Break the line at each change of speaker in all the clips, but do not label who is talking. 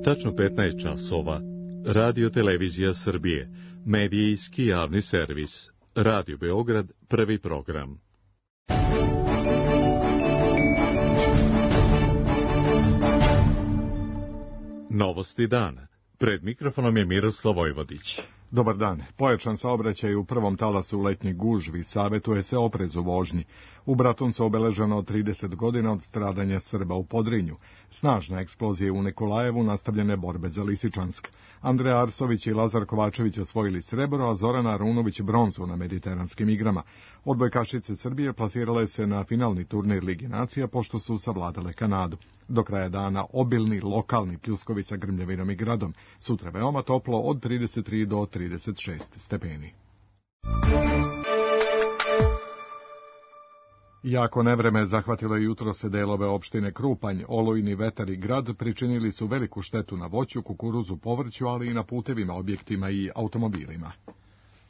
Tačno 15 časova. Radio Televizija Srbije. Medijski javni servis. Radio Beograd, prvi program. Novosti dana. Pred mikrofonom je Miroslav Vojvodić.
Dobar dan. Pojačan saobraćaj u prvom talasu letnjih gužvi, savjetuje se oprez u vožnji. U Bratuncu obeleženo 30 godina od stradanja Srba u Podrinju. Snažna eksplozija u Nikolajevu, nastavljene borbe za Lisičansk. Andreja Arsović i Lazar Kovačević osvojili srebro, a Zorana Arunović bronzu na Mediteranskim igrama. Odbojkašice Srbije plasirale se na finalni turnir Ligi nacija, pošto su savladale Kanadu. Do kraja dana obilni lokalni pljuskovi sa grmljavinom i gradom. Sutra veoma toplo od 33 do 36 stepeni. Jako nevreme zahvatilo je jutros delove opštine Krupanj. Olujni vetar i grad pričinili su veliku štetu na voću, kukuruzu, povrću, ali i na putevima, objektima i automobilima.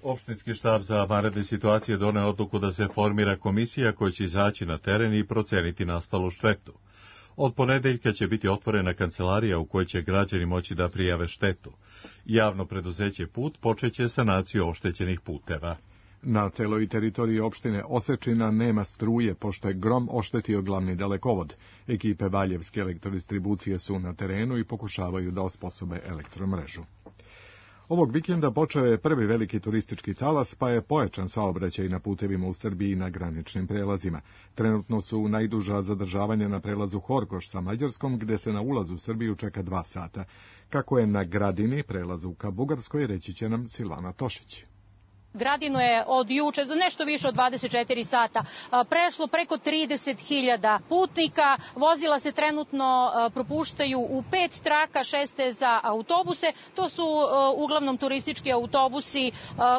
Opštinski štab za vanredne situacije doneo odluku da se formira komisija koja će izaći na teren i proceniti nastalu štetu. Od ponedeljka će biti otvorena kancelarija u kojoj će građani moći da prijave štetu. Javno preduzeće Put počeće sanaciju oštećenih puteva.
Na celoj teritoriji opštine Osečina nema struje, pošto je grom oštetio glavni dalekovod. Ekipe Valjevske elektrodistribucije su na terenu i pokušavaju da osposobe elektromrežu. Ovog vikenda počeo je prvi veliki turistički talas, pa je pojačan saobraćaj na putevima u Srbiji i na graničnim prelazima. Trenutno su najduža zadržavanja na prelazu Horgoš sa Mađarskom, gde se na ulazu u Srbiju čeka 2 sata. Kako je na Gradini, prelazu ka Bugarskoj, reći će nam Silvana Tošić.
Gradinu je od juče, nešto više od 24 sata, prešlo preko 30.000 putnika. Vozila se trenutno propuštaju u 5 traka, 6 za autobuse. To su uglavnom turistički autobusi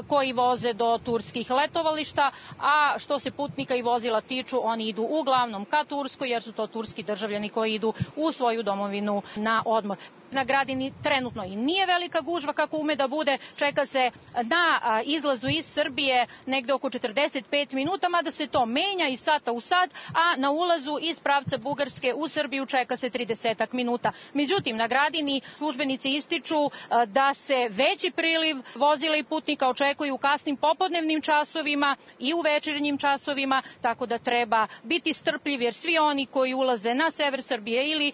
koji voze do turskih letovališta, a što se putnika i vozila tiču, oni idu uglavnom ka Turskoj, jer su to turski državljani koji idu u svoju domovinu na odmor. Na Gradini trenutno i nije velika gužva kako ume da bude, čeka se na izlazu iz Srbije negde oko 45 minuta, mada se to menja iz sata u sat, a na ulazu iz pravca Bugarske u Srbiju čeka se 30 minuta. Međutim, na Gradini službenici ističu da se veći priliv vozila i putnika očekuju u kasnim popodnevnim časovima i u večernjim časovima, tako da treba biti strpljiv, jer svi oni koji ulaze na sever Srbije ili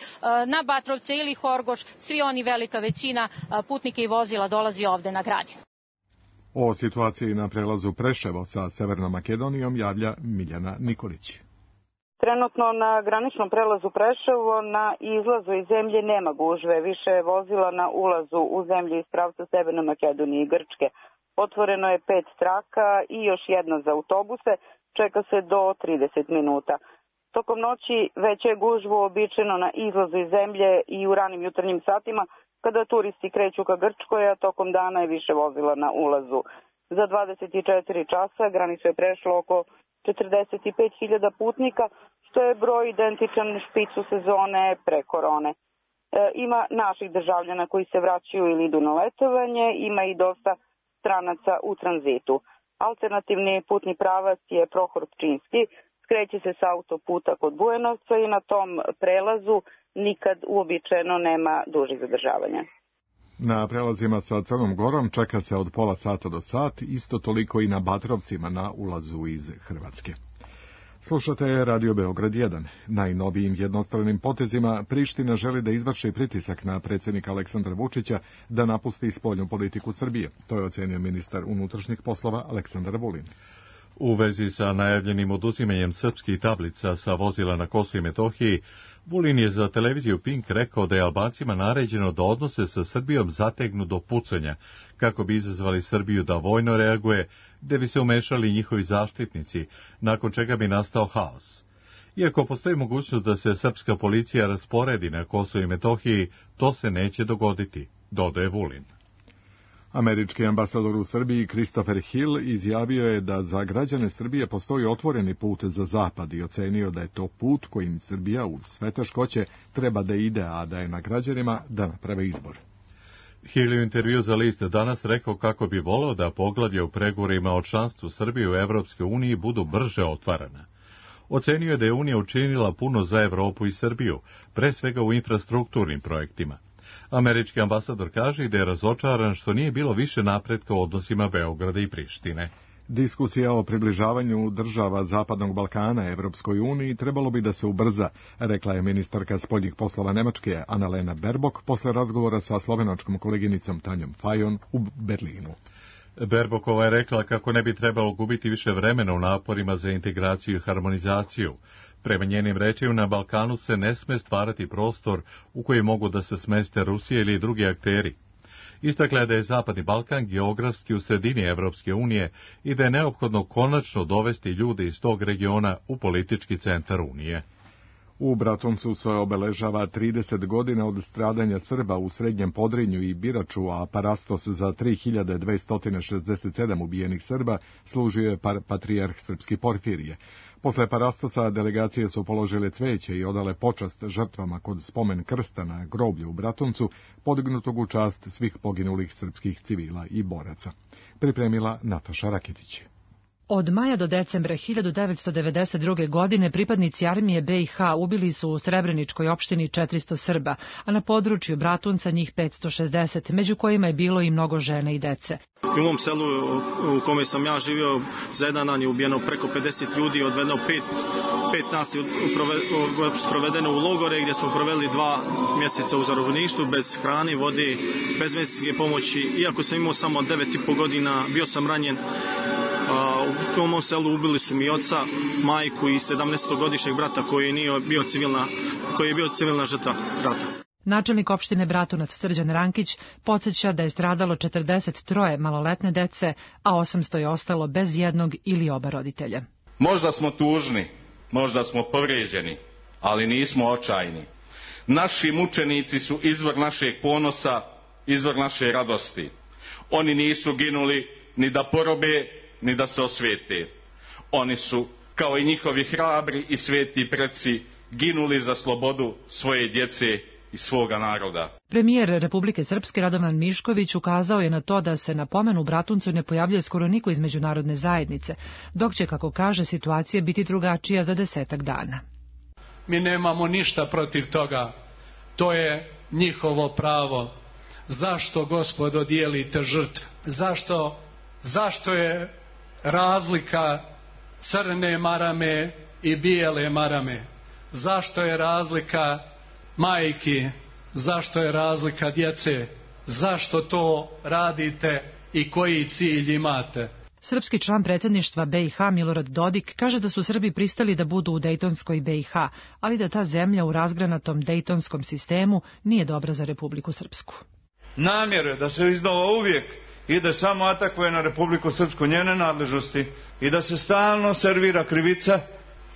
na Batrovce ili Horgoš, svi oni, velika većina putnika i vozila dolazi ovde na Gradinu.
O situaciji na prelazu Preševo sa Severnom Makedonijom javlja Miljana Nikolić.
Trenutno na graničnom prelazu Preševo na izlazu iz zemlje nema gužve, više je vozila na ulazu u zemlju iz pravca Severne Makedonije i Grčke. Otvoreno je 5 traka i još jedna za autobuse, čeka se do 30 minuta. Tokom noći veća je gužva uobičajeno na izlazu iz zemlje i u ranim jutarnjim satima, kada turisti kreću ka Grčkoj, a tokom dana je više vozila na ulazu. Za 24 časa granicu je prešlo oko 45.000 putnika, što je broj identičan špicu sezone pre korone. Ima naših državljana koji se vraćaju ili idu na letovanje, ima i dosta stranaca u tranzitu. Alternativni putni pravac je Prohor Pčinski, skreće se sa autoputa kod Bujanovca i na tom prelazu nikad uobičajeno nema dužih zadržavanja.
Na prelazima sa Crnom Gorom čeka se od pola sata do sat, isto toliko i na Batrovcima na ulazu iz Hrvatske. Slušate Radio Beograd 1. Najnovijim jednostranim potezima Priština želi da izvrši pritisak na predsjednika Aleksandra Vučića da napusti spoljnu politiku Srbije. To je ocenio ministar unutrašnjih poslova Aleksandar Vulin.
U vezi sa najavljenim oduzimanjem srpskih tablica sa vozila na Kosovu i Metohiji, Vulin je za televiziju Pink rekao da je Albancima naređeno da odnose sa Srbijom zategnu do pucanja, kako bi izazvali Srbiju da vojno reaguje, gde bi se umešali njihovi zaštitnici, nakon čega bi nastao haos. Iako postoji mogućnost da se srpska policija rasporedi na Kosovu i Metohiji, to se neće dogoditi, dodaje Vulin.
Američki ambasador u Srbiji Christopher Hill izjavio je da za građane Srbije postoji otvoreni put za zapad i ocenio da je to put kojim Srbija uz sve teškoće treba da ide, a da je na građanima da naprave izbor.
Hill je u intervju za list danas rekao kako bi voleo da poglavlja u pregovorima o članstvu Srbije u Evropskoj uniji budu brže otvarana. Ocenio je da je Unija učinila puno za Evropu i Srbiju, pre svega u infrastrukturnim projektima. Američki ambasador kaže da je razočaran što nije bilo više napretka u odnosima Beograda i Prištine.
Diskusija o približavanju država Zapadnog Balkana Evropskoj uniji trebalo bi da se ubrza, rekla je ministarka spoljnih poslova Nemačke Annalena Baerbock posle razgovora sa slovenačkom koleginicom Tanjom Fajon u Berlinu.
Baerbockova je rekla kako ne bi trebalo gubiti više vremena u naporima za integraciju i harmonizaciju. Prema njenim rečima, na Balkanu se ne sme stvarati prostor u koji mogu da se smeste Rusija ili drugi akteri. Istakla je da je Zapadni Balkan geografski u sredini Evropske unije i da je neophodno konačno dovesti ljude iz tog regiona u politički centar Unije.
U Bratuncu se obeležava 30 godina od stradanja Srba u Srednjem Podrinju i Biraču, a parastos za 3267 ubijenih Srba služio je patrijarh srpski Porfirije. Posle parastosa delegacije su položile cveće i odale počast žrtvama kod spomen krsta na groblju u Bratuncu, podignutog u čast svih poginulih srpskih civila i boraca. Pripremila Nataša Raketić.
Od maja do decembra 1992. godine pripadnici armije BiH ubili su u Srebreničkoj opštini 400 Srba, a na području Bratunca njih 560, među kojima je bilo i mnogo žena i dece.
U mom selu u kome sam ja živio, za jedan dan je ubijeno preko 50 ljudi, odvedeno pet nas je sprovedeno u logore gdje smo proveli 2 mjeseca u zarobljeništvu bez hrane, vode, bez medicinske pomoći. Iako sam imao samo 9,5 godina, bio sam ranjen. U mom selu ubili su mi oca, majku i 17-godišnjeg brata koji je bio civilna žrtva rata.
Načelnik opštine Bratunac Srđan Rankić podsjeća da je stradalo 43 maloletne dece, a 800 je ostalo bez jednog ili oba roditelja.
Možda smo tužni, možda smo povrijeđeni, ali nismo očajni. Naši mučenici su izvor našeg ponosa, izvor naše radosti. Oni nisu ginuli ni da porobe, ni da se osvete. Oni su, kao i njihovi hrabri i sveti preci, ginuli za slobodu svoje djece i svoga naroda.
Premijer Republike Srpske Radovan Mišković ukazao je na to da se na pomenu u Bratuncu ne pojavljuje skoro niko iz međunarodne zajednice, dok će, kako kaže, situacija biti drugačija za 10 dana.
Mi nemamo ništa protiv toga. To je njihovo pravo. Zašto, gospodo, dijelite žrtve? Zašto je razlika crne marame i bijele marame? Zašto je razlika majki? Zašto je razlika djece? Zašto to radite i koji cilj imate?
Srpski član predsjedništva BiH Milorad Dodik kaže da su Srbi pristali da budu u Dejtonskoj BiH, ali da ta zemlja u razgranatom dejtonskom sistemu nije dobra za Republiku Srpsku.
Namjere da se iznova uvijek ide samo atakuje na Republiku Srpsku, njene nadležnosti, i da se stalno servira krivica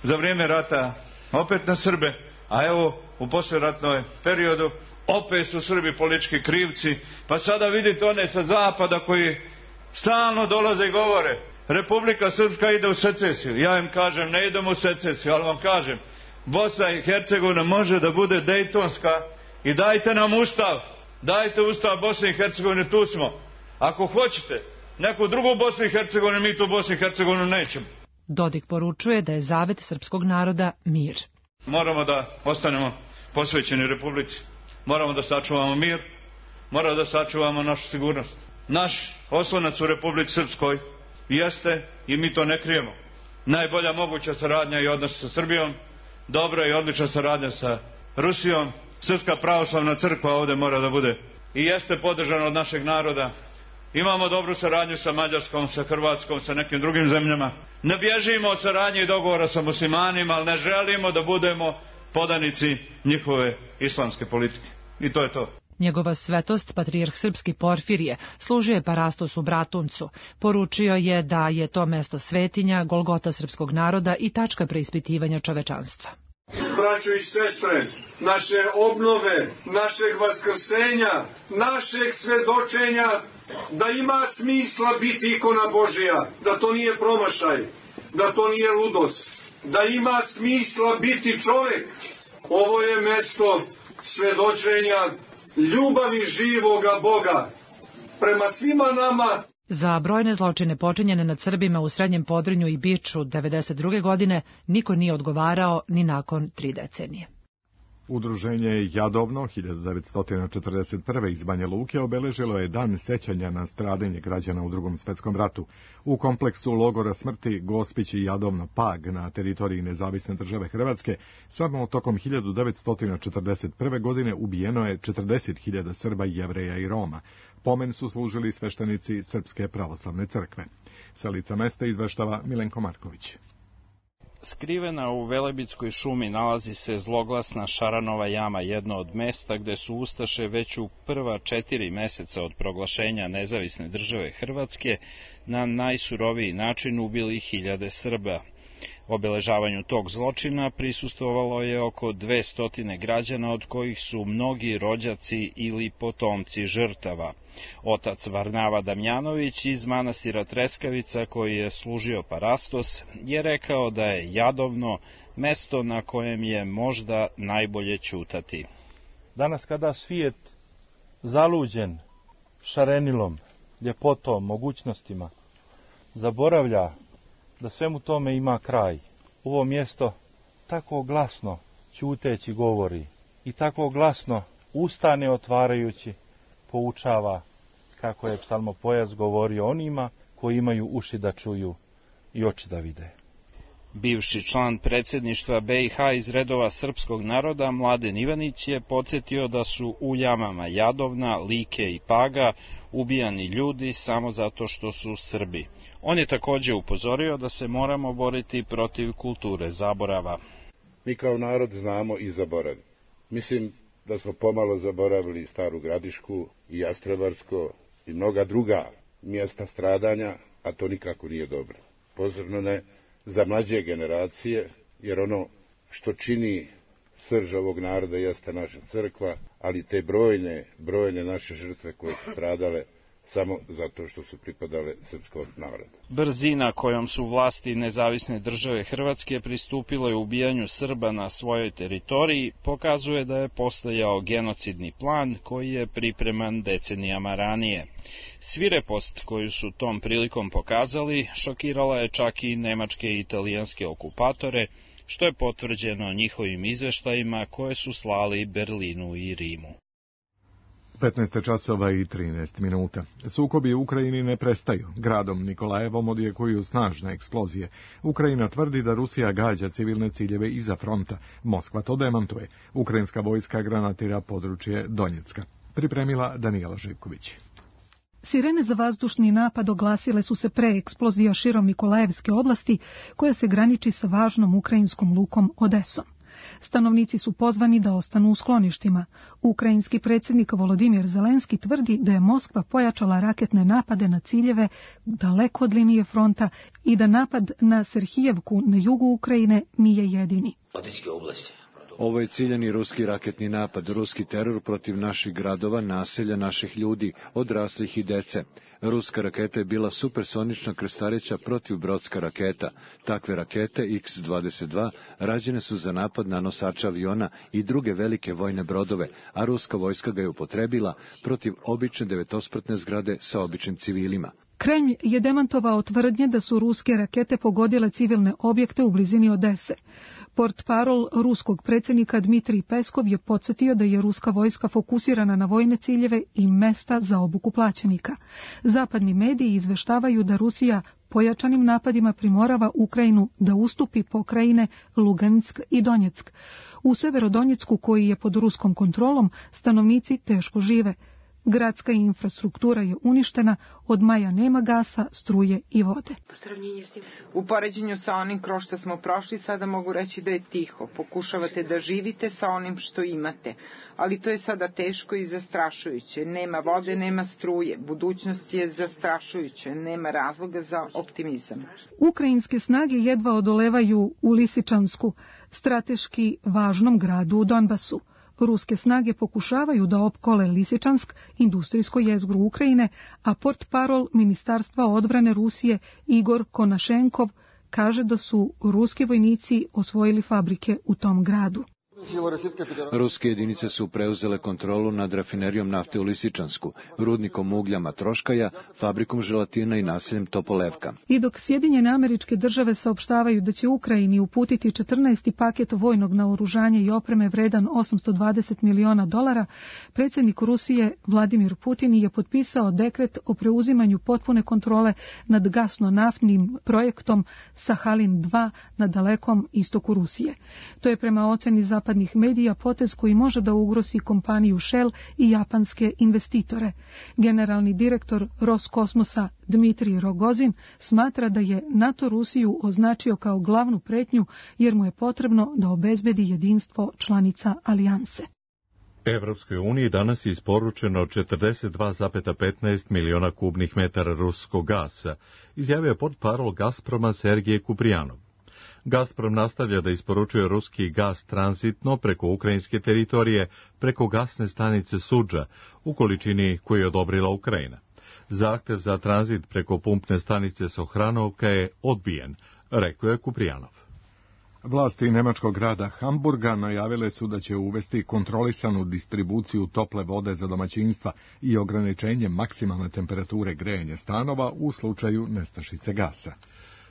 za vrijeme rata opet na Srbe, a evo u poslijeratnom periodu opet su Srbi politički krivci, pa sada vidite one sa zapada koji stalno dolaze i govore Republika Srpska ide u secesiju. Ja im kažem ne idemo u secesiju, ali vam kažem Bosna i Hercegovina može da bude dejtonska i dajte nam ustav, dajte ustav Bosne i Hercegovine, tu smo. Ako hoćete neku drugu Bosnu i Hercegovinu, mi tu Bosnu i Hercegovinu nećemo.
Dodik poručuje da je zavet srpskog naroda mir.
Moramo da ostanemo posvećeni Republici. Moramo da sačuvamo mir, moramo da sačuvamo našu sigurnost. Naš oslonac u Republici Srpskoj jeste, i mi to ne krijemo, najbolja moguća saradnja i odnos sa Srbijom, dobra i odlična saradnja sa Rusijom. Srpska pravoslavna crkva ovdje mora da bude i jeste podržana od našeg naroda. Imamo dobru saradnju sa Mađarskom, sa Hrvatskom, sa nekim drugim zemljama. Ne bježimo od saradnje i dogovora sa muslimanima, ali ne želimo da budemo podanici njihove islamske politike. I to je to.
Njegova svetost, patrijarh srpski Porfirije, služio je parastos u Bratuncu. Poručio je da je to mesto svetinja, golgota srpskog naroda i tačka preispitivanja čovečanstva.
Braćo i sestre, naše obnove, našeg vaskrsenja, našeg svedočenja, da ima smisla biti ikona Božija, da to nije promašaj, da to nije ludost, da ima smisla biti čovjek. Ovo je mesto svedočenja ljubavi živoga Boga prema svima nama.
Za brojne zločine počinjene nad Srbima u Srednjem Podrinju i Biču 1992. godine niko nije odgovarao ni nakon 3 decenije.
Udruženje Jadovno 1941. iz Banja Luke obeležilo je dan sećanja na stradanje građana u Drugom svetskom ratu. U kompleksu logora smrti Gospić i Jadovno Pag na teritoriji Nezavisne države Hrvatske samo tokom 1941. godine ubijeno je 40.000 Srba, Jevreja i Roma. Pomen su služili sveštenici Srpske pravoslavne crkve. Sa lica mesta izveštava Milenko Marković.
Skrivena u Velebitskoj šumi nalazi se zloglasna Šaranova jama, jedno od mesta gde su ustaše već u prva 4 meseca od proglašenja Nezavisne države Hrvatske na najsuroviji način ubili hiljade Srba. Obeležavanju tog zločina prisustvovalo je oko 200 građana, od kojih su mnogi rođaci ili potomci žrtava. Otac Varnava Damjanović iz manastira Treskavica, koji je služio parastos, je rekao da je Jadovno mesto na kojem je možda najbolje ćutati.
Danas kada svijet zaluđen šarenilom, ljepotom, mogućnostima, zaboravlja da svemu tome ima kraj. Ovo mjesto tako glasno ćuteći govori i tako glasno ustane otvarajući poučava, kako je psalmopojac govorio onima koji imaju uši da čuju i oči da vide.
Bivši član predsjedništva BiH iz redova srpskog naroda Mladen Ivanić je podsjetio da su u jamama Jadovna, Like i Paga ubijani ljudi samo zato što su Srbi. On je također upozorio da se moramo boriti protiv kulture zaborava.
Mi kao narod znamo i zaboravimo. Mislim da smo pomalo zaboravili Staru Gradišku i Jastrebarsko i mnoga druga mjesta stradanja, a to nikako nije dobro. Posebno ne za mlađe generacije, jer ono što čini srž ovog naroda jeste naša crkva, ali te brojne naše žrtve koje su stradale samo zato što su pripadale srpskom narodu.
Brzina kojom su vlasti Nezavisne države Hrvatske pristupile ubijanju Srba na svojoj teritoriji pokazuje da je postojao genocidni plan koji je pripreman decenijama ranije. Svirepost koju su tom prilikom pokazali šokirala je čak i nemačke i italijanske okupatore, što je potvrđeno njihovim izveštajima koje su slali Berlinu i Rimu.
15 časova i 13 minuta. Sukobi u Ukrajini ne prestaju. Gradom Nikolajevom odjekuju snažne eksplozije. Ukrajina tvrdi da Rusija gađa civilne ciljeve iza fronta. Moskva to demantuje. Ukrajinska vojska granatira područje Donjecka. Pripremila Danijela Živković.
Sirene za vazdušni napad oglasile su se pre eksplozija širom Nikolajevske oblasti, koja se graniči sa važnom ukrajinskom lukom Odesom. Stanovnici su pozvani da ostanu u skloništima. Ukrajinski predsjednik Volodimir Zelenski tvrdi da je Moskva pojačala raketne napade na ciljeve daleko od linije fronta i da napad na Serhijevku na jugu Ukrajine nije jedini.
Ovo je ciljani ruski raketni napad, ruski teror protiv naših gradova, naselja, naših ljudi, odraslih i dece. Ruska raketa je bila supersonična krstareća protivbrodska raketa. Takve rakete X-22 rađene su za napad na nosače aviona i druge velike vojne brodove, a ruska vojska ga je upotrebila protiv obične devetospratne zgrade sa običnim civilima.
Kremlj je demantovao tvrdnje da su ruske rakete pogodile civilne objekte u blizini Odese. Portparol ruskog predsjednika Dmitrij Peskov je podsjetio da je ruska vojska fokusirana na vojne ciljeve i mesta za obuku plaćenika. Zapadni mediji izveštavaju da Rusija pojačanim napadima primorava Ukrajinu da ustupi pokrajine Lugansk i Donjeck. U Severodonjecku, koji je pod ruskom kontrolom, stanovnici teško žive. Gradska infrastruktura je uništena, od maja nema gasa, struje i vode.
U poređenju sa onim kroz što smo prošli, sada mogu reći da je tiho. Pokušavate da živite sa onim što imate, ali to je sada teško i zastrašujuće. Nema vode, nema struje. Budućnost je zastrašujuća, nema razloga za optimizam.
Ukrajinske snage jedva odolevaju u Lisičansku, strateški važnom gradu u Donbasu. Ruske snage pokušavaju da opkole Lisičansk, industrijsko jezgro Ukrajine, a portparol Ministarstva odbrane Rusije Igor Konašenkov kaže da su ruski vojnici osvojili fabrike u tom gradu.
Ruske jedinice su preuzele kontrolu nad rafinerijom nafte u Lisičansku, rudnikom uglja Matroškaja, fabrikom želatina i naseljem Topolevka.
I dok Sjedinjene Američke Države saopštavaju da će Ukrajini uputiti 14. paket vojnog naoružanja i opreme vredan $820 miliona, predsjednik Rusije Vladimir Putin je potpisao dekret o preuzimanju potpune kontrole nad gasno-naftnim projektom Sahalin 2 na dalekom istoku Rusije. To je prema oceni zapadnih medija potez koji može da ugrozi kompaniju Shell i japanske investitore. Generalni direktor Roskosmosa Dmitrij Rogozin smatra da je NATO Rusiju označio kao glavnu pretnju jer mu je potrebno da obezbedi jedinstvo članica alijanse.
Evropskoj uniji danas je isporučeno 42,15 miliona kubnih metara ruskog gasa, izjavio je portparol Gazproma Sergej Kuprijanov. Gazprom nastavlja da isporučuje ruski gas tranzitno preko ukrajinske teritorije, preko gasne stanice Sudža, u količini koju je odobrila Ukrajina. Zahtev za tranzit preko pumpne stanice Sohranovka je odbijen, rekao je Kuprijanov.
Vlasti nemačkog grada Hamburga najavile su da će uvesti kontrolisanu distribuciju tople vode za domaćinstva i ograničenje maksimalne temperature grejanja stanova u slučaju nestašice gasa.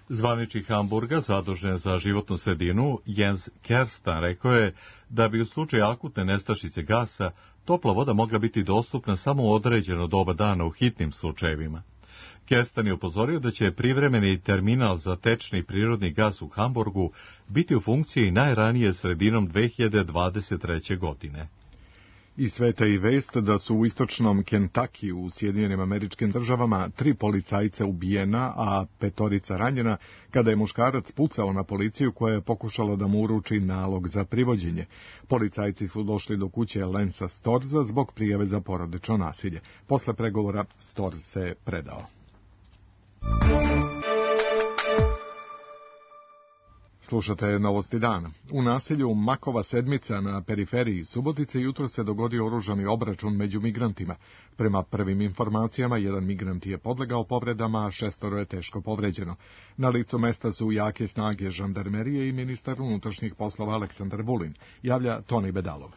Zvaničnik Hamburga, zadužen za životnu sredinu, Jens Kerstan, rekao je da bi u slučaju akutne nestašice gasa topla voda mogla biti dostupna samo u određeno doba dana u hitnim slučajevima. Kerstan je upozorio da će privremeni terminal za tečni prirodni gas u Hamburgu biti u funkciji najranije sredinom 2023. godine.
I sveta i vest da su u istočnom Kentucky u Sjedinjenim Američkim Državama 3 policajca ubijena, a 5 ranjena, kada je muškarac pucao na policiju koja je pokušala da mu uruči nalog za privođenje. Policajci su došli do kuće Lensa Storza zbog prijave za porodično nasilje. Posle pregovora Storz se predao. Slušate Novosti dana. U naselju Makova Sedmica na periferiji Subotice jutro se dogodio oružani obračun među migrantima. Prema prvim informacijama, jedan migrant je podlegao povredama, a 6 je teško povređeno. Na licu mesta su jake snage žandarmerije i ministar unutrašnjih poslova Aleksandar Vulin, javlja Toni Bedalov.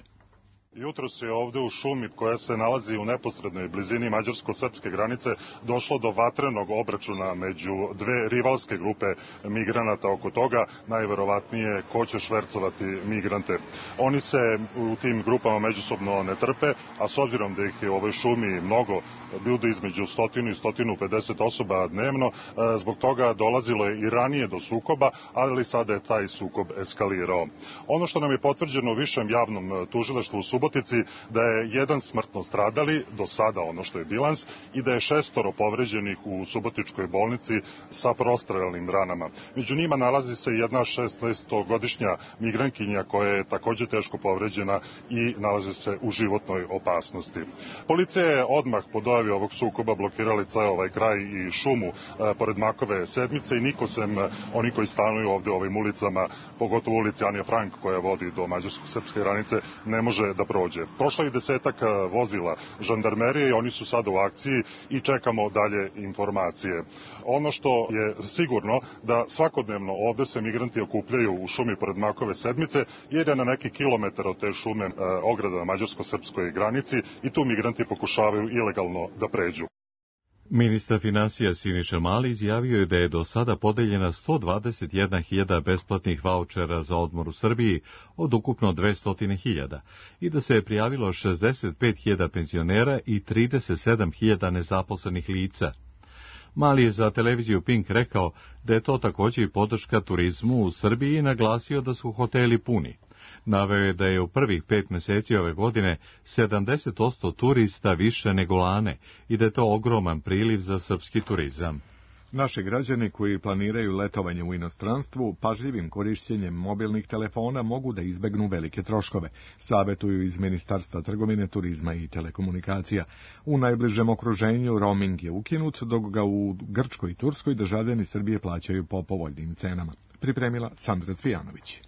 Jutros je ovde u šumi koja se nalazi u neposrednoj blizini mađarsko-srpske granice došlo do vatrenog obračuna među dve rivalske grupe migranata oko toga, najverovatnije ko će švercovati migrante. Oni se u tim grupama međusobno ne trpe, a s obzirom da ih je u ovoj šumi mnogo, ljudi između 100 i 150 osoba dnevno, zbog toga dolazilo je i ranije do sukoba, ali sada je taj sukob eskalirao. Ono što nam je potvrđeno u višem javnom tužilaštvu u Subotici, da je jedan smrtno stradali, do sada ono što je bilans, i da je 6 povređenih u subotičkoj bolnici sa prostrelnim ranama. Među njima nalazi se jedna 16-godišnja migrankinja koja je takođe teško povređena i nalazi se u životnoj opasnosti. Policija je odmah po dojavi ovog sukoba blokirali ceo ovaj kraj i šumu pored Makove Sedmice i niko sem oni koji stanuju ovde u ovim ulicama, pogotovo ulici Anja Frank koja vodi do mađarsko-srpske granice, ne može da prođe. Prošlo je 10 vozila žandarmerije i oni su sada u akciji i čekamo dalje informacije. Ono što je sigurno da svakodnevno ovde se migranti okupljaju u šumi pored Makove Sedmice jer je na neki kilometar od te šume ograda na mađarsko-srpskoj granici i tu migranti pokušavaju ilegalno da pređu.
Ministar finansija Siniša Mali izjavio je da je do sada podeljena 121.000 besplatnih vaučera za odmor u Srbiji od ukupno 200.000 i da se je prijavilo 65.000 penzionera i 37.000 nezaposlenih lica. Mali je za televiziju Pink rekao da je to također i podrška turizmu u Srbiji i naglasio da su hoteli puni. Naveo je da je u prvih 5 meseci ove godine 70% turista više nego lane i da je to ogroman priliv za srpski turizam.
Naši građani koji planiraju letovanje u inostranstvu pažljivim korišćenjem mobilnih telefona mogu da izbegnu velike troškove, savetuju iz Ministarstva trgovine, turizma i telekomunikacija. U najbližem okruženju roaming je ukinut, dok ga u Grčkoj i Turskoj državljani Srbije plaćaju po povoljnim cenama. Pripremila Sandra Cvijanović.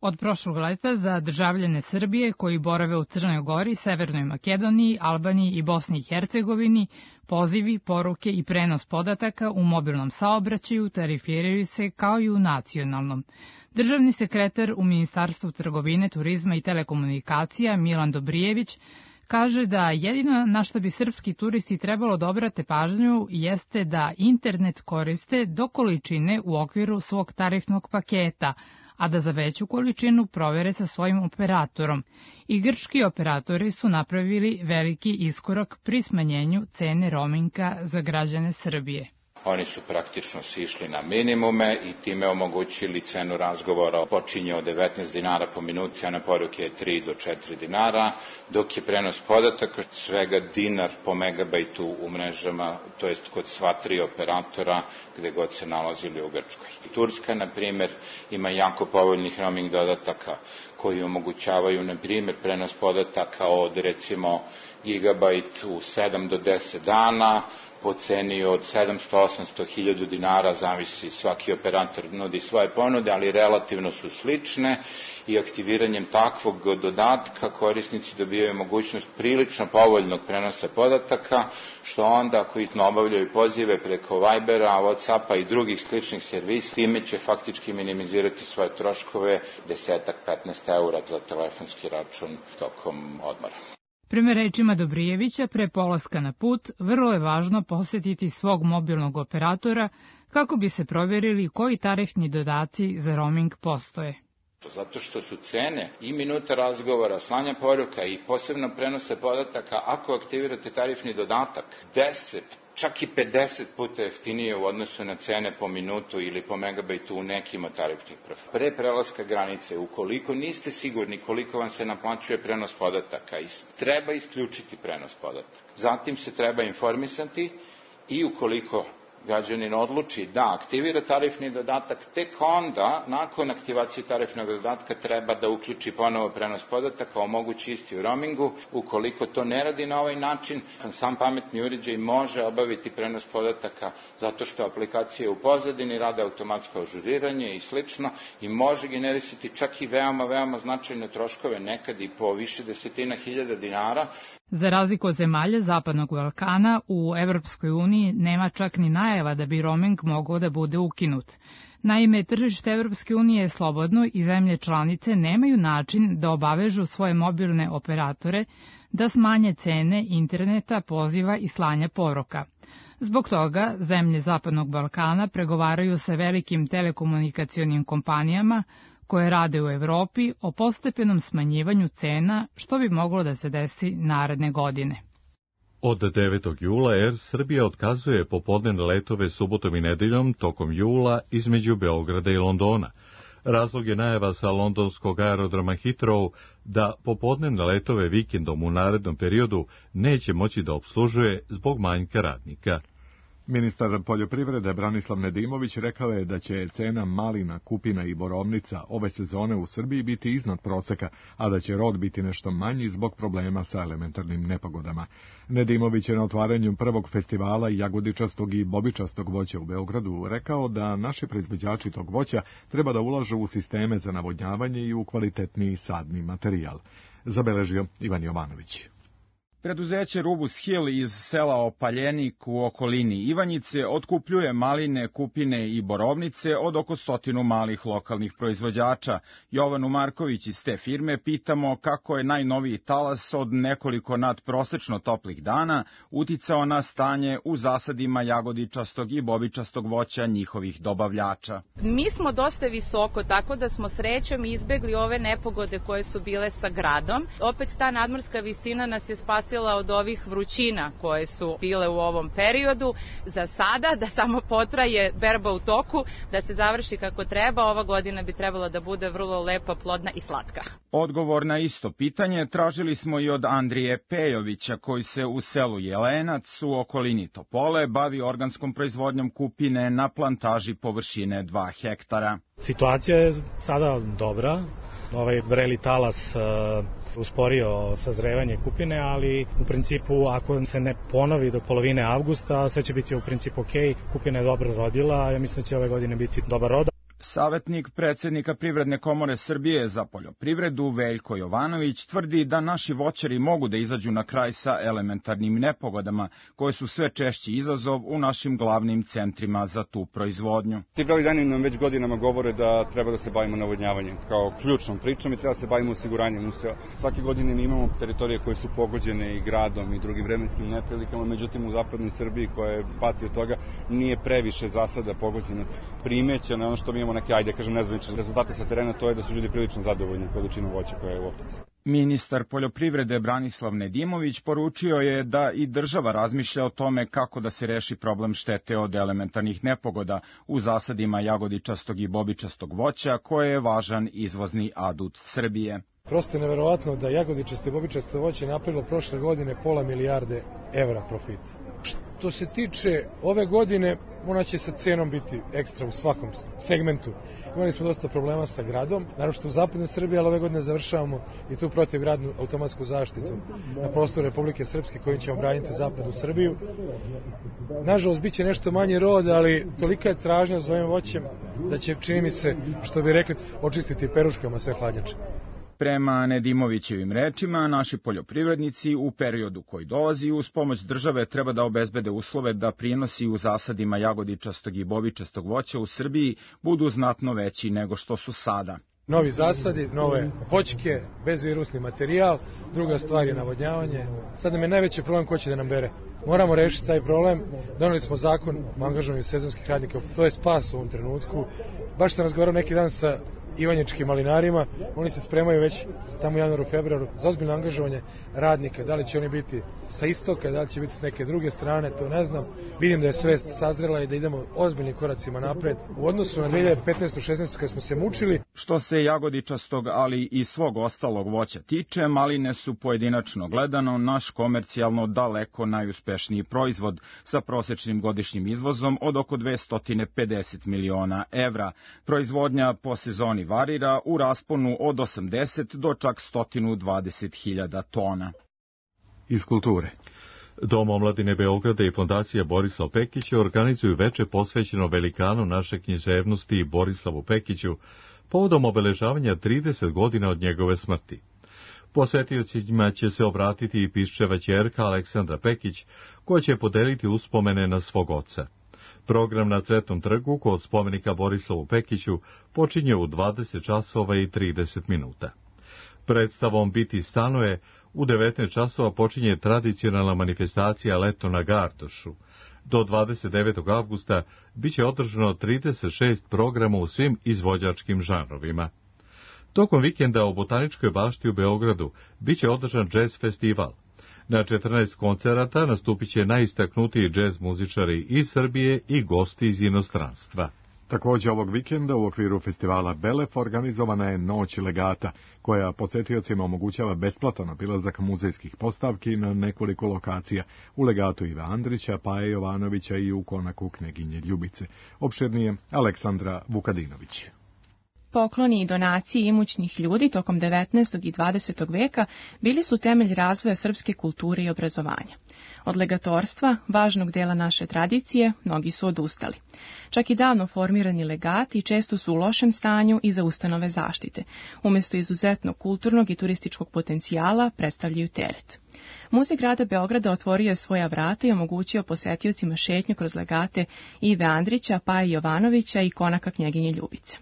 Od prošlog leta za državljane Srbije koji borave u Crnoj Gori, Severnoj Makedoniji, Albaniji i Bosni i Hercegovini, pozivi, poruke i prenos podataka u mobilnom saobraćaju tarifiraju se kao i u nacionalnom. Državni sekretar u Ministarstvu trgovine, turizma i telekomunikacija Milan Dobrijević kaže da jedino na što bi srpski turisti trebalo da obrate pažnju jeste da internet koriste do količine u okviru svog tarifnog paketa, a da za veću količinu provere sa svojim operatorom. I grčki operatori su napravili veliki iskorak pri smanjenju cene roaminga za građane Srbije.
Oni su praktično sišli na minimume i time omogućili cenu razgovora počinje od 19 dinara po minuti, a na poruke je 3 do 4 dinara, dok je prenos podataka svega dinar po megabajtu u mrežama, to jest kod sva 3 operatora gde god se nalazili u Grčkoj. Turska, na primjer, ima jako povoljnih roaming dodataka koji omogućavaju, na primjer, prenos podataka od, recimo, gigabajt u 7 do 10 dana, po ceni od 700-800 dinara, zavisi, svaki operator nudi svoje ponude, ali relativno su slične i aktiviranjem takvog dodatka korisnici dobijaju mogućnost prilično povoljnog prenosa podataka, što onda ako obavljaju pozive preko Vibera, Whatsappa i drugih sličnih servisa, time će faktički minimizirati svoje troškove 10-15 eura za telefonski račun tokom odmora.
Prema rečima Dobrijevića, pre polaska na put, vrlo je važno posjetiti svog mobilnog operatora kako bi se provjerili koji tarifni dodaci za roaming postoje.
Zato što su cene i minuta razgovora, slanja poruka i posebno prenose podataka, ako aktivirate tarifni dodatak, 10, čak i 50 puta jeftinije u odnosu na cene po minutu ili po megabajtu u nekim od tarifnih profila. Pre prelaska granice, ukoliko niste sigurni koliko vam se naplaćuje prenos podataka, treba isključiti prenos podataka. Zatim se treba informisati i ukoliko građanin odluči da aktivira tarifni dodatak, tek onda, nakon aktivacije tarifnog dodatka, treba da uključi ponovo prenos podataka, omogući isti u roamingu. Ukoliko to ne radi na ovaj način, sam pametni uređaj može obaviti prenos podataka zato što aplikacije u pozadini rade automatsko ažuriranje i slično i može generisati čak i veoma značajne troškove, nekad i po više desetina hiljada dinara.
Za razliku od zemalja Zapadnog Balkana, u Evropskoj uniji nema čak ni najava da bi roaming mogao da bude ukinut. Naime, tržište Evropske unije je slobodno i zemlje članice nemaju način da obavežu svoje mobilne operatore da smanje cene interneta, poziva i slanja poruka. Zbog toga, zemlje Zapadnog Balkana pregovaraju sa velikim telekomunikacionim kompanijama koje rade u Evropi o postepenom smanjivanju cena, što bi moglo da se desi naredne godine.
Od 9. jula Air Srbija otkazuje popodnevne letove subotom i nedeljom tokom jula između Beograda i Londona. Razlog je najava sa londonskog aerodroma Heathrow da popodnevne letove vikendom u narednom periodu neće moći da opslužuje zbog manjka radnika.
Ministar poljoprivrede Branislav Nedimović rekao je da će cena malina, kupina i borovnica ove sezone u Srbiji biti iznad proseka, a da će rod biti nešto manji zbog problema sa elementarnim nepogodama. Nedimović je na otvaranju prvog festivala jagodičastog i bobičastog voća u Beogradu rekao da naši proizvođači tog voća treba da ulažu u sisteme za navodnjavanje i u kvalitetniji sadni materijal. Zabeležio Ivan Jovanović.
Preduzeće Rubus Hill iz sela Opaljenik u okolini Ivanjice otkupljuje maline, kupine i borovnice od oko 100 malih lokalnih proizvođača. Jovanu Marković iz te firme pitamo kako je najnoviji talas od nekoliko nadprosečno toplih dana uticao na stanje u zasadima jagodičastog i bobičastog voća njihovih dobavljača.
Mi smo dosta visoko, tako da smo srećom izbegli ove nepogode koje su bile sa gradom. Opet ta nadmorska visina nas je spasila od ovih vrućina koje su bile u ovom periodu. Za sada, da samo potraje berba u toku, da se završi kako treba, ova godina bi trebala da bude vrlo lepa, plodna i slatka.
Odgovor na isto pitanje tražili smo i od Andrije Pejovića, koji se u selu Jelenac u okolini Topole bavi organskom proizvodnjom kupine na plantaži površine 2 hektara.
Situacija je sada dobra. Ovaj vreli talas usporio sazrevanje kupine, ali u principu ako se ne ponovi do polovine avgusta, sve će biti u principu ok. Kupina je dobro rodila, ja mislim da će ove godine biti dobar rod.
Savetnik predsjednika Privredne komore Srbije za poljoprivredu Veljko Jovanović tvrdi da naši voćari mogu da izađu na kraj sa elementarnim nepogodama, koje su sve češći izazov u našim glavnim centrima za tu proizvodnju.
Ti brojni dani nam već godinama govore da treba da se bavimo navodnjavanjem kao ključnom pričom i treba da se bavimo osiguranjem useva. Svake godine mi imamo teritorije koje su pogođene i gradom i drugim vremenskim neprilikama, međutim u zapadnoj Srbiji koja je pati od toga nije previše zasada pogođena. Primećeno je ono što mi imamo neke, nezvanične rezultate sa terena, to je da su ljudi prilično zadovoljni količinom voća koja je u optici.
Ministar poljoprivrede Branislav Nedimović poručio je da i država razmišlja o tome kako da se reši problem štete od elementarnih nepogoda u zasadima jagodičastog i bobičastog voća, koje je važan izvozni adut Srbije.
Prosto je neverovatno da jagodičasto i bobičasto voće napravilo prošle godine £500 milijarde profita. Što se tiče ove godine, ona će sa cenom biti ekstra u svakom segmentu. Imali smo dosta problema sa gradom, naročito u zapadnoj Srbiji, ali ove godine završavamo i tu protivgradnu automatsku zaštitu na prostoru Republike Srpske kojim ćemo braniti zapadnu Srbiju. Nažalost, bit će nešto manji rod, ali tolika je tražnja za ovim voćem da će, čini mi se, što bi rekli, očistiti peruškama sve hladnjače.
Prema Nedimovićevim rečima, naši poljoprivrednici u periodu koji dolazi uz pomoć države treba da obezbede uslove da prinosi u zasadima jagodičastog i bobičastog voća u Srbiji budu znatno veći nego što su sada.
Novi zasadi, nove voćke, bezvirusni materijal, druga stvar je navodnjavanje. Sad nam je najveći problem ko će da nam bere. Moramo rešiti taj problem. Doneli smo zakon o angažovanju sezonskih radnika, to je spas u ovom trenutku. Baš sam razgovarao neki dan sa ivanjičkim malinarima, oni se spremaju već tamo u januaru, februaru za ozbiljno angažovanje radnika, da li će oni biti sa istoka, da li će biti s neke druge strane, to ne znam. Vidim da je svest sazrela i da idemo ozbiljnim koracima napred u odnosu na 2015-16 kad smo se mučili.
Što se jagodičastog, ali i svog ostalog voća tiče, maline su pojedinačno gledano naš komercijalno daleko najuspešniji proizvod sa prosečnim godišnjim izvozom od oko 250 miliona evra. Proizvodnja po sezoni varira u rasponu od 80 do čak 120.000 tona.
Iz kulture.
Dom omladine Beograda i fondacija Borislav Pekić organizuju veče posvećeno velikanu naše književnosti Borislavu Pekiću povodom obeležavanja 30 godina od njegove smrti. Posetiocima će se obratiti i piščeva ćerka Aleksandra Pekić, koja će podeliti uspomene na svog oca. Program na Cvetnom trgu kod spomenika Borislavu Pekiću počinje u 20 časova i 30 minuta. Predstavom Biti stanuje u 19 časova počinje tradicionalna manifestacija Leto na Gardošu. Do 29. avgusta biće održano 36 programa u svim izvođačkim žanrovima. Tokom vikenda u Botaničkoj bašti u Beogradu biće održan džez festival. Na 14 koncerata nastupit će najistaknutiji džez muzičari iz Srbije i gosti iz inostranstva.
Također ovog vikenda u okviru festivala Belef organizovana je Noć legata, koja posetiocima omogućava besplatan obilazak muzejskih postavki na nekoliko lokacija u legatu Ive Andrića, Paje Jovanovića i u konaku Kneginje Ljubice. Opširnije Aleksandra Vukadinović.
Pokloni i donacije imućnih ljudi tokom 19. i 20. veka bili su temelj razvoja srpske kulture i obrazovanja. Od legatorstva, važnog dela naše tradicije, mnogi su odustali. Čak i davno formirani legati često su u lošem stanju i za ustanove zaštite. Umjesto izuzetno kulturnog i turističkog potencijala predstavljaju teret. Muzej grada Beograda otvorio je svoja vrata i omogućio posetiocima šetnju kroz legate Ive Andrića, Paje Jovanovića i konaka Knjeginje Ljubice.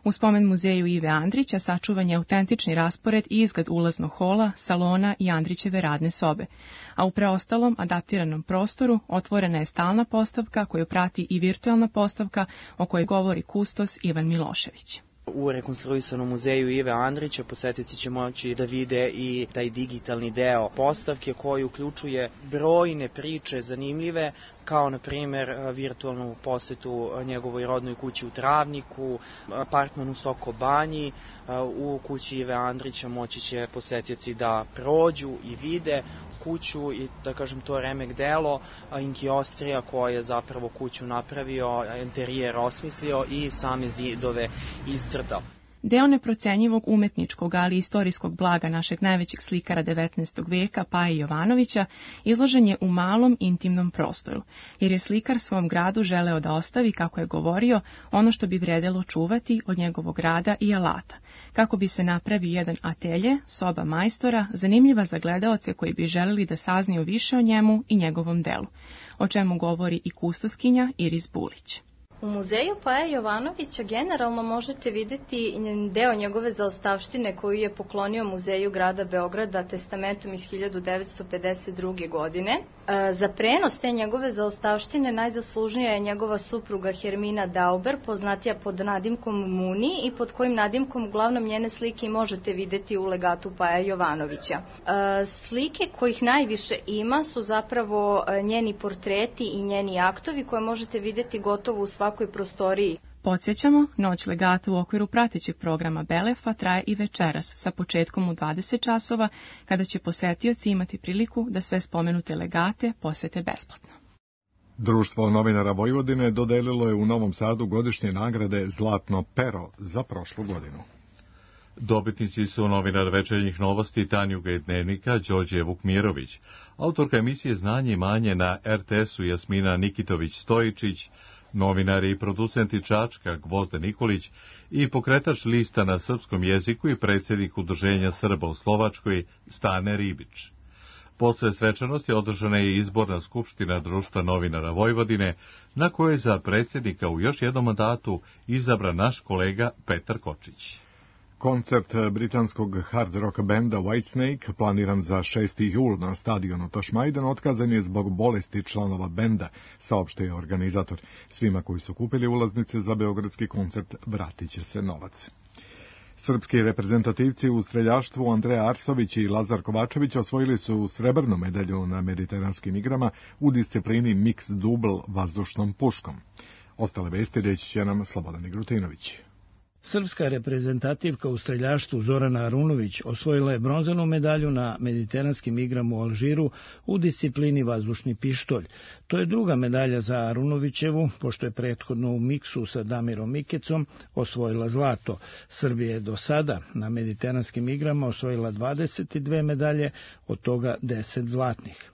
U spomen muzeju Ive Andrića sačuvan je autentični raspored i izgled ulaznog hola, salona i Andrićeve radne sobe, a u preostalom adaptiranom prostoru otvorena je stalna postavka koju prati i virtualna postavka o kojoj govori kustos Ivan Milošević.
U rekonstruisanom muzeju Ive Andrića posetioci će moći da vide i taj digitalni deo postavke koji uključuje brojne priče zanimljive, kao na primjer virtualnu posetu njegovoj rodnoj kući u Travniku, apartman u Soko Banji. U kući Ive Andrića moći će posetioci da prođu i vide kuću i, da kažem, to remek delo Inki Ostrija koji je zapravo kuću napravio, interijer osmislio i same zidove iscrtao.
Deo neprocenjivog umetničkog, ali i istorijskog blaga našeg najvećeg slikara 19. veka, Paje Jovanovića, izložen je u malom intimnom prostoru, jer je slikar svom gradu želeo da ostavi, kako je govorio, ono što bi vredelo čuvati od njegovog rada i alata, kako bi se napravio jedan atelje, soba majstora, zanimljiva za gledaoce koji bi želeli da saznaju više o njemu i njegovom delu, o čemu govori i kustoskinja Iris Bulić.
U muzeju Paje Jovanovića generalno možete vidjeti deo njegove zaostavštine koju je poklonio muzeju grada Beograda testamentom iz 1952. godine. Za prenos te njegove zaostavštine najzaslužnija je njegova supruga Hermina Dauber, poznatija pod nadimkom Muni i pod kojim nadimkom uglavnom njene slike možete vidjeti u legatu Paja Jovanovića. Slike kojih najviše ima su zapravo njeni portreti i njeni aktovi koje možete vidjeti gotovo u svakoj prostoriji.
Podsjećamo, Noć legata u okviru pratećeg programa Belefa traje i večeras sa početkom u 20 časova, kada će posetioci imati priliku da sve spomenute legate posete besplatno.
Društvo novinara Vojvodine dodelilo je u Novom Sadu godišnje nagrade Zlatno pero za prošlu godinu.
Dobitnici su novinar Večernjih novosti Tanjuga i Dnevnika Đorđe Vukmirović, autorka emisije Znanje i manje na RTS-u Jasmina Nikitović-Stojičić, novinari i producenti Čačka Gvozden Nikolić i pokretač lista na srpskom jeziku i predsjednik Udruženja Srba u Slovačkoj Stane Ribić. Posle svečanosti održana je izborna skupština Društva novinara Vojvodine, na kojoj je za predsjednika u još jednom mandatu izabran naš kolega Petar Kočić.
Koncert britanskog hard rock benda Whitesnake, planiran za 6. jul na stadionu Tošmajdan, otkazan je zbog bolesti članova benda, saopštio je organizator. Svima koji su kupili ulaznice za beogradski koncert vratit će se novac. Srpski reprezentativci u streljaštvu Andreja Arsović i Lazar Kovačević osvojili su srebrnu medalju na mediteranskim igrama u disciplini mix dubl vazdušnom puškom. Ostale vesti reći će nam Slobodan Igrutinović.
Srpska reprezentativka u streljaštvu Zorana Arunović osvojila je bronzanu medalju na mediteranskim igrama u Alžiru u disciplini vazdušni pištolj. To je druga medalja za Arunovićevu, pošto je prethodno u miksu sa Damirom Mikecom osvojila zlato. Srbija je do sada na mediteranskim igrama osvojila 22 medalje, od toga 10 zlatnih.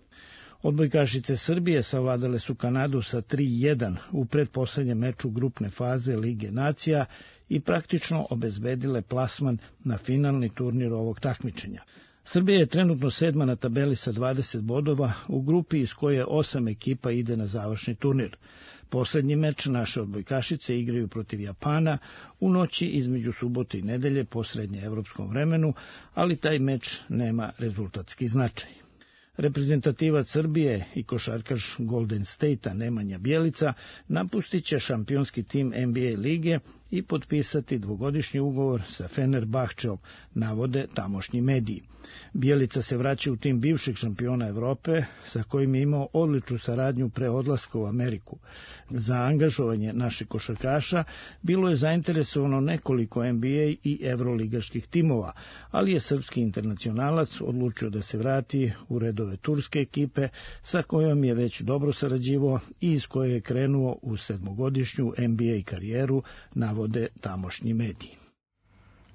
Odbojkašice Srbije savladale su Kanadu sa 3:1 u pretposlednjem meču grupne faze Lige nacija i praktično obezbedile plasman na finalni turnir ovog takmičenja. Srbija je trenutno 7. na tabeli sa 20 bodova u grupi iz koje 8 ekipa ide na završni turnir. Poslednji meč naše odbojkašice igraju protiv Japana u noći između subote i nedelje po srednjeevropskom vremenu, ali taj meč nema rezultatski značaj. Reprezentativac Srbije i košarkaš Golden State-a Nemanja Bjelica napustit će šampionski tim NBA lige i potpisati dvogodišnji ugovor sa Fenerbahčeom, navode tamošnji mediji. Bjelica se vraća u tim bivšeg šampiona Evrope, sa kojim je imao odličnu saradnju pre odlaska u Ameriku. Za angažovanje naših košarkaša bilo je zainteresovano nekoliko NBA i evroligaških timova, ali je srpski internacionalac odlučio da se vrati u redove turske ekipe, sa kojom je već dobro sarađivao i iz koje je krenuo u 7-godišnju NBA karijeru, navode tamošnji mediji.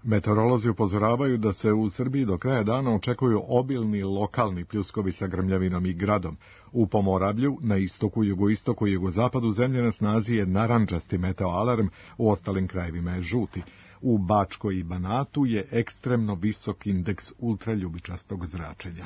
Meteorolozi upozoravaju da se u Srbiji do kraja dana očekuju obilni lokalni pljuskovi sa grmljavinom i gradom. U Pomoravlju, na istoku, jugoistoku i jugozapadu zemlje na snazi je narandžasti meteoalarm, u ostalim krajevima je žuti. U Bačkoj i Banatu je ekstremno visok indeks ultraljubičastog zračenja.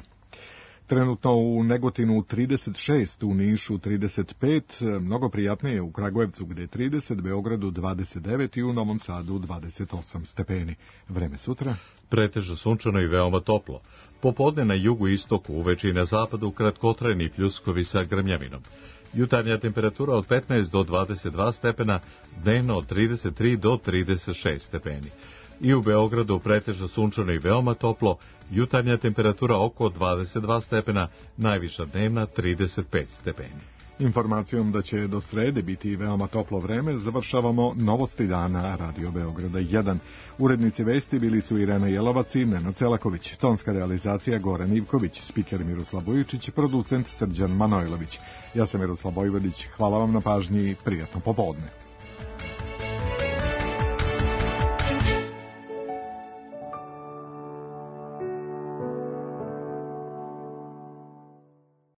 Trenutno u Negotinu 36, u Nišu 35, mnogo prijatnije u Kragujevcu gde je 30, Beogradu 29 i u Novom Sadu 28 stepeni. Vreme sutra?
Pretežno sunčano i veoma toplo. Popodne na jugu i istoku, uveče i na zapadu kratkotrajni pljuskovi sa grmljavinom. Jutarnja temperatura od 15 do 22 stepena, dnevno od 33 do 36 stepeni. I u Beogradu pretežno sunčano i veoma toplo, jutarnja temperatura oko 22 stepena, najviša dnevna 35 stepeni.
Informacijom da će do srede biti veoma toplo vreme, završavamo Novosti dana Radio Beograda 1. Urednici vesti bili su Irena Jelovac i Nenad Celaković, tonska realizacija Goran Ivković, spiker Miroslav Bojičić, producent Srđan Manojlović. Ja sam Miroslav Bojvodić, hvala vam na pažnji i prijatno popodne.